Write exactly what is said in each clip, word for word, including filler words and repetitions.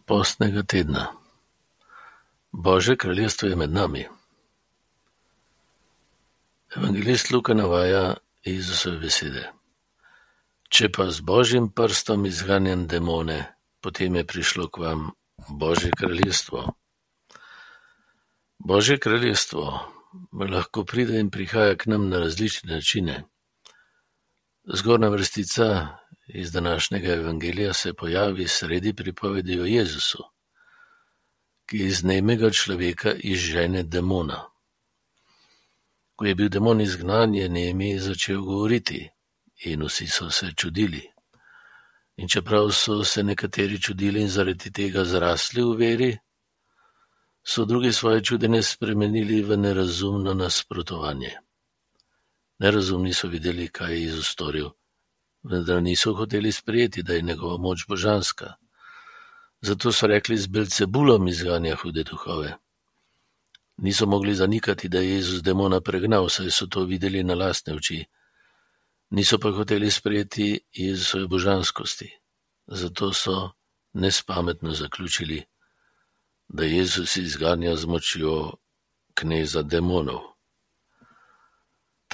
postnega tedna. Božje kraljestvo je med nami. Evangelist Luka navaja Jezusove besede. Če pa z Božjim prstom izganjam demone, potem je prišlo k vam Božje kraljestvo. Božje kraljestvo lahko pride in prihaja k nam na različne načine. Zgornja vrstica iz današnjega evangelija se pojavi sredi pripovedi o Jezusu, ki iz nemega človeka izžene demona. Ko je bil demon izgnan, je nemi začel govoriti in vsi so se čudili. In čeprav so se nekateri čudili in zaradi tega zrasli v veri, so drugi svoje čudenje spremenili v nerazumno nasprotovanje. Nerazumni so videli, kaj je Jezus storil, vendar niso hoteli sprejeti, da je njegova moč božanska. Zato so rekli, z Belcebulom izganja hude duhove. Niso mogli zanikati, da je Jezus demona pregnal, saj so to videli na lastne oči. Niso pa hoteli sprejeti Jezusove božanskosti. Zato so nespametno zaključili, da Jezus izganja z močjo kneza demonov.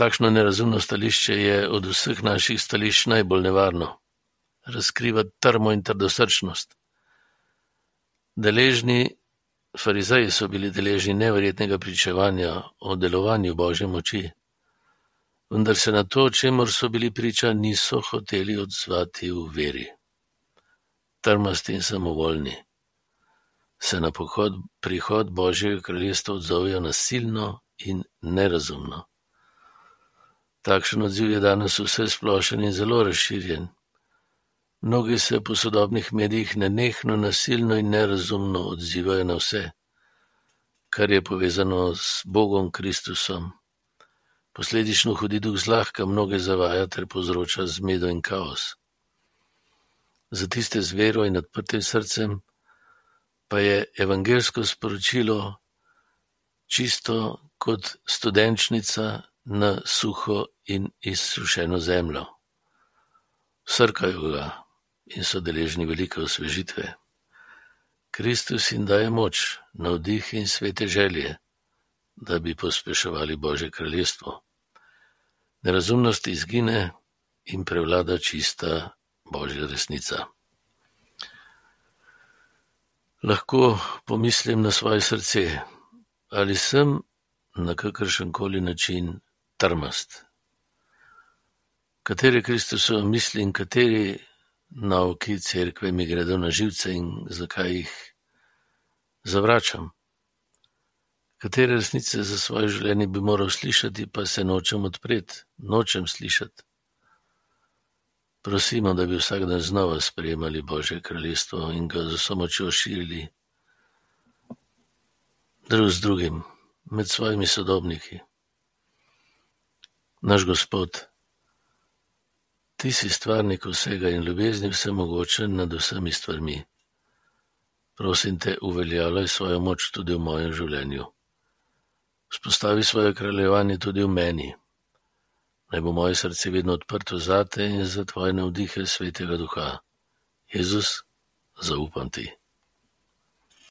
Takšno nerazumno stališče je od vseh naših stališč najbolj nevarno. Razkriva trmo in trdosrčnost. Deležni farizeji so bili deležni neverjetnega pričevanja o delovanju Božje moči, vendar se na to, čemur so bili priča, niso hoteli odzvati v veri. Trmasti in samovoljni se na pohod, prihod Božjega kraljestva odzovejo nasilno in nerazumno. Takšen odziv je danes vse splošen in zelo razširjen. Mnogi se po sodobnih medijih nenehno, nasilno in nerazumno odzivajo na vse, kar je povezano s Bogom Kristusom. Posledično hudi duh zlahka mnoge zavaja ter povzroča zmedo in kaos. Za tiste z vero in odprtim srcem pa je evangelsko sporočilo čisto kot studenčnica na suho in izsušeno zemljo. Srkajo ga in so deležni velike osvežitve. Kristus jim daje moč, navdih in svete želje, da bi pospeševali Božje kraljestvo. Nerazumnost izgine in prevlada čista Božja resnica. Lahko pomislim na svoje srce, ali sem na kakršenkoli način trmast. Katere Kristusove misli in kateri nauki cerkve mi gredo na živce in zakaj jih zavračam? Katere resnice za svoje življenje bi moral slišati, pa se nočem odpreti, nočem slišati. Prosimo, da bi vsak dan znova sprejemali Božje kraljestvo in ga z vso močjo širili drug z drugim, med svojimi sodobniki. Naš Gospod, Ti si stvarnik vsega in ljubezni vsemogočen nad vsemi stvarmi. Prosim te, uveljavljaj svojo moč tudi v mojem življenju. Vzpostavi svoje kraljevanje tudi v meni. Naj bo moje srce vedno odprto zate in za tvoje navdihe Svetega Duha. Jezus, zaupam ti.